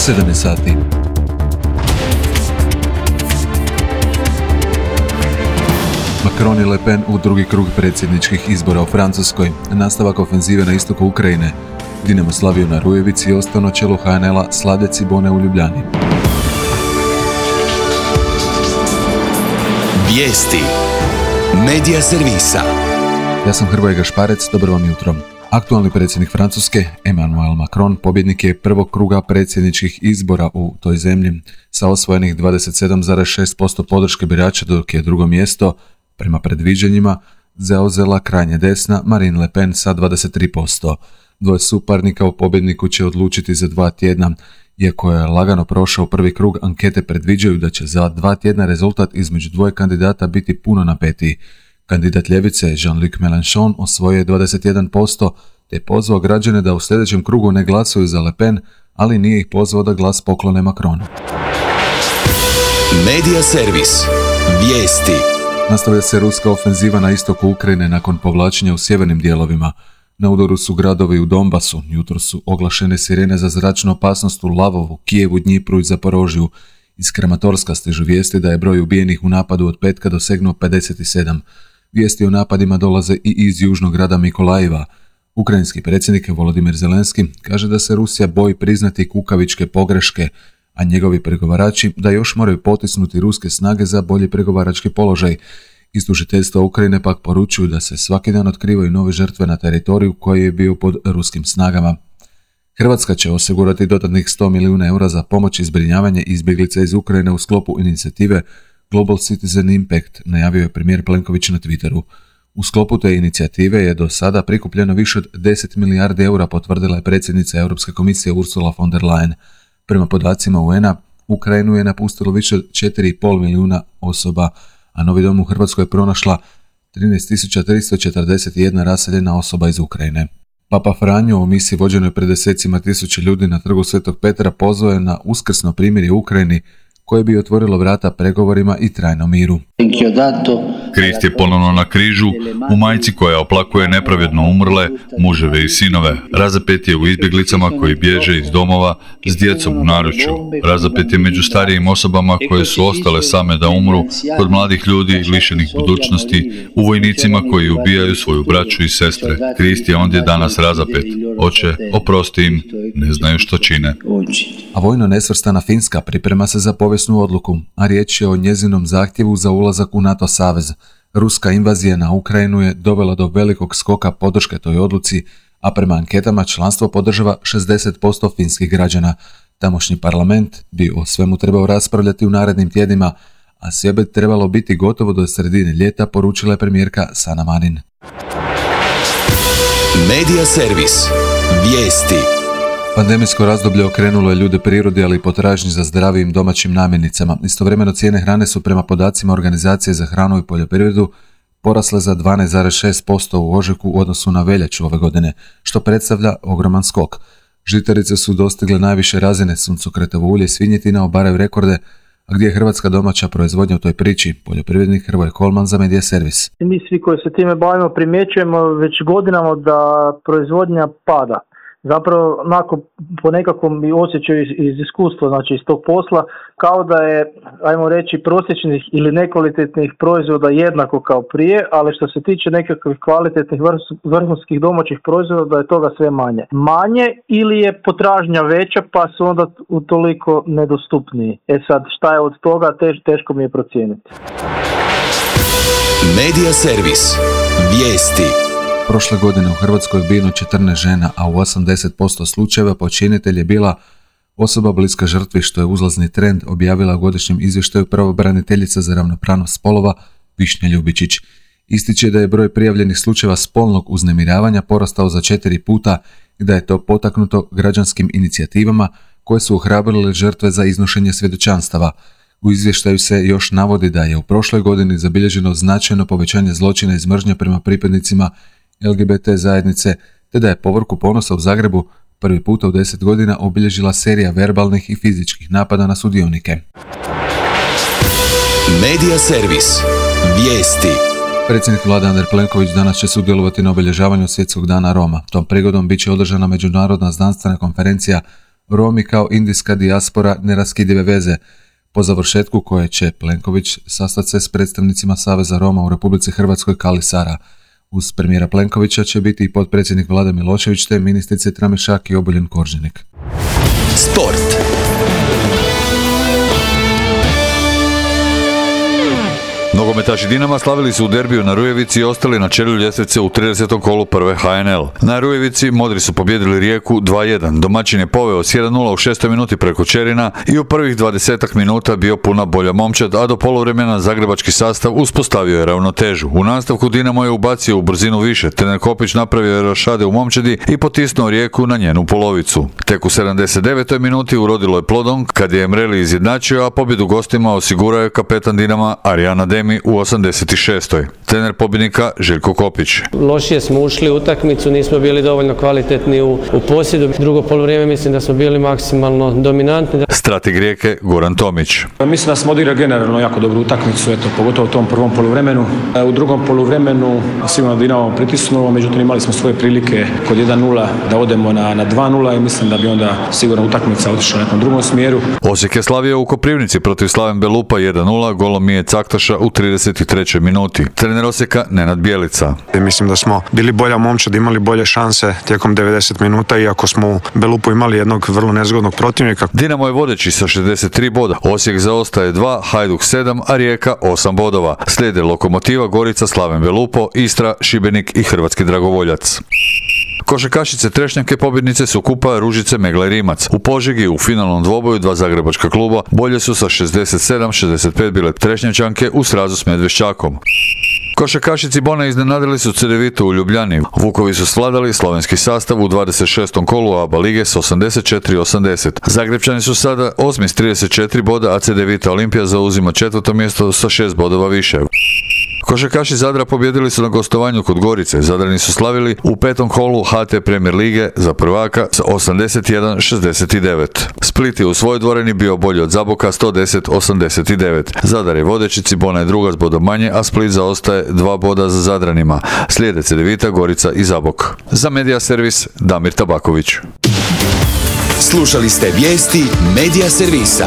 7 sati. Macron i Le Pen u drugi krug predsjedničkih izbora u Francuskoj. Nastavak ofenzive na istoku Ukrajine. Dinamo slavio na Rujevici i ostao na čelu HNL-a Slade Cibone u Ljubljani. Vijesti. Medija servisa. Ja sam Hrvoje Gašparec, dobro vam jutro. Aktualni predsjednik Francuske, Emmanuel Macron, pobjednik je prvog kruga predsjedničkih izbora u toj zemlji sa osvojenih 27,6% podrške birača, dok je drugo mjesto, prema predviđanjima, zauzela krajnje desna Marine Le Pen sa 23%. Dvoje suparnika u pobjedniku će odlučiti za 2 tjedna. Iako je lagano prošao prvi krug, ankete predviđaju da će za 2 tjedna rezultat između dvoje kandidata biti puno napetiji. Kandidat ljevice Jean-Luc Mélenchon osvojio je 21%, te pozvao građane da u sljedećem krugu ne glasuju za Le Pen, ali nije ih pozvao da glas poklone Macronu. Medija servis. Vijesti. Nastavlja se ruska ofenziva na istoku Ukrajine nakon povlačenja u sjevernim dijelovima. Na udaru su gradovi u Donbasu, jutro su oglašene sirene za zračnu opasnost u Lavovu, Kijevu, Dnjipru i Zaporožju. Iz Kramatorska stižu vijesti da je broj ubijenih u napadu od petka dosegnuo 57. Vijesti o napadima dolaze i iz južnog grada Mikolajeva. Ukrajinski predsjednik Volodimir Zelenski kaže da se Rusija boji priznati kukavičke pogreške, a njegovi pregovarači da još moraju potisnuti ruske snage za bolji pregovarački položaj. Iz tužiteljstva Ukrajine pak poručuju da se svaki dan otkrivaju nove žrtve na teritoriju koji je bio pod ruskim snagama. Hrvatska će osigurati dodatnih 100 milijuna eura za pomoć i zbrinjavanje izbjeglica iz Ukrajine u sklopu inicijative Global Citizen Impact, najavio je premijer Plenković na Twitteru. U sklopu te inicijative je do sada prikupljeno više od 10 milijardi eura, potvrdila je predsjednica Europske komisije Ursula von der Leyen. Prema podacima UN-a, Ukrajinu je napustilo više od 4,5 milijuna osoba, a Novi dom u Hrvatskoj je pronašla 13.341 raseljena osoba iz Ukrajine. Papa Franjo u misiji vođenoj pred desecima tisuća ljudi na trgu Svetog Petra pozvao je na uskrsno primirje u Ukrajini, koje bi otvorilo vrata pregovorima i trajnom miru. Krist je ponovno na križu, u majci koja oplakuje nepravedno umrle, muževe i sinove. Razapet je u izbjeglicama koji bježe iz domova s djecom u naručju. Razapet je među starijim osobama koje su ostale same da umru, kod mladih ljudi lišenih budućnosti, u vojnicima koji ubijaju svoju braću i sestre. Krist je ondje danas razapet. Oče, oprosti im, ne znaju što čine. A vojno nesvrstana Finska priprema se za povijesnu odluku, a riječ je o njezinom zahtjevu za ulazak u NATO savez. Ruska invazija na Ukrajinu je dovela do velikog skoka podrške toj odluci, a prema anketama članstvo podržava 60% finskih građana. Tamošnji parlament bi o svemu trebao raspravljati u narednim tjednima, a sve bi trebalo biti gotovo do sredine ljeta, poručila je premijerka Sanna Marin. Medija servis. Vijesti. Pandemijsko razdoblje okrenulo je ljude prirodi, ali i potražnji za zdravijim domaćim namirnicama. Istovremeno cijene hrane su prema podacima Organizacije za hranu i poljoprivredu porasle za 12,6% u ožujku u odnosu na veljaču ove godine, što predstavlja ogroman skok. Žitarice su dostigle najviše razine, suncokretovo ulje i svinjetina obaraju rekorde, a gdje je hrvatska domaća proizvodnja u toj priči? Poljoprivrednik Hrvoje Kolman za Medija servis. Mi svi koji se time bavimo primjećujemo već godinama da proizvodnja pada. Zapravo, onako, po nekakvom osjećaju iz iskustva, znači iz tog posla, kao da je, ajmo reći, prosječnih ili nekvalitetnih proizvoda jednako kao prije, ali što se tiče nekakvih kvalitetnih vrhunskih domaćih proizvoda, da je toga sve manje. Manje ili je potražnja veća, pa su onda utoliko nedostupniji. Sad, šta je od toga, teško mi je procijeniti. Medija servis. Vijesti. Prošle godine u Hrvatskoj je ubijeno 14 žena, a u 80% slučajeva počinitelj je bila osoba bliska žrtvi, što je uzlazni trend, objavila u godišnjem izvještaju pravobraniteljica za ravnopravnost spolova Višnja Ljubičić. Ističe da je broj prijavljenih slučajeva spolnog uznemiravanja porastao za 4 puta i da je to potaknuto građanskim inicijativama koje su ohrabrile žrtve za iznošenje svjedočanstava. U izvještaju se još navodi da je u prošloj godini zabilježeno značajno povećanje zločina iz mržnje prema pripadnicima LGBT zajednice, te da je povorku ponosa u Zagrebu prvi puta u 10 godina obilježila serija verbalnih i fizičkih napada na sudionike. Medija servis. Vijesti. Predsjednik vlade Andrej Plenković danas će sudjelovati na obilježavanju Svjetskog dana Roma. Tom prigodom bit će održana međunarodna znanstvena konferencija Romi kao indijska dijaspora neraskidive veze, po završetku koje će Plenković sastati se s predstavnicima Saveza Roma u Republici Hrvatskoj Kali Sara. Uz premijera Plenkovića će biti i potpredsjednik Vlade Milošević te ministrice Tramišak i Obuljen Koržinek. Sport. Nogometaši Dinama slavili su u derbiju na Rujevici i ostali na čelu ljestvice u 30. kolu prve HNL. Na Rujevici modri su pobjedili Rijeku 2-1. Domaćin je poveo s 1-0 u 6. minuti preko Čerina i u prvih 20 minuta bio puna bolja momčad, a do poluvremena zagrebački sastav uspostavio je ravnotežu. U nastavku Dinamo je ubacio u brzinu više, trener Kopić napravio je rošade u momčadi i potisnuo Rijeku na njenu polovicu. Tek u 79. minuti urodilo je plodom kad je Emreli izjednačio, a pobjedu gostima osigurao je kapetan Dinama Arjana Demi u 86. Trener pobjednika Željko Kopić. Lošije smo ušli u utakmicu, nismo bili dovoljno kvalitetni u posjedu. Drugo poluvrijeme mislim da smo bili maksimalno dominantni. Strateg Rijeke Goran Tomić. Mislim da smo odigrali generalno jako dobru utakmicu, pogotovo u tom prvom poluvremenu. U drugom poluvremenu sigurno Dinamo pritisnulo, međutim imali smo svoje prilike kod 1-0 da odemo na 2-0 i mislim da bi onda sigurno utakmica otišla u nekom drugom smjeru. Osijek je slavio u Koprivnici protiv Slaven Belupa 1-0, golom Mije Caktaša u 33. minuti. Trener Osijeka Nenad Bjelica. Mislim da smo bili bolja momčad, imali bolje šanse tijekom 90 minuta, iako smo u Belupu imali jednog vrlo nezgodnog protivnika. Dinamo je vodeći sa 63 boda, Osijek zaostaje 2, Hajduk 7, a Rijeka 8 bodova. Slijede Lokomotiva, Gorica, Slaven Belupo, Istra, Šibenik i Hrvatski Dragovoljac. Košarkašice Trešnjake pobjednice su kupa Ružice, Megla i Rimac. U Požegi u finalnom dvoboju dva zagrebačka kluba bolje su sa 67-65 bile Trešnjačanke u srazu s Medveščakom. Košarkašici Bona iznenadili su Cedevitu u Ljubljani. Vukovi su svladali slovenski sastav u 26. kolu ABA lige s 84-80. Zagrebčani su sada 8. s 34 boda, a Cedevita Olimpija zauzima 4. mjesto sa 6 bodova više. Košarkaši Zadra pobjedili su na gostovanju kod Gorice. Zadrani su slavili u 5. kolu HT Premier lige za prvaka s 81-69. Split je u svojoj dvorani bio bolji od Zaboka 110-89. Zadar je vodeći, Cibona je druga s bodom manje, a Split zaostaje 2 boda za Zadranima. Slijede Cedevita, Gorica i Zabok. Za Medija servis Damir Tabaković. Slušali ste vijesti Medija servisa.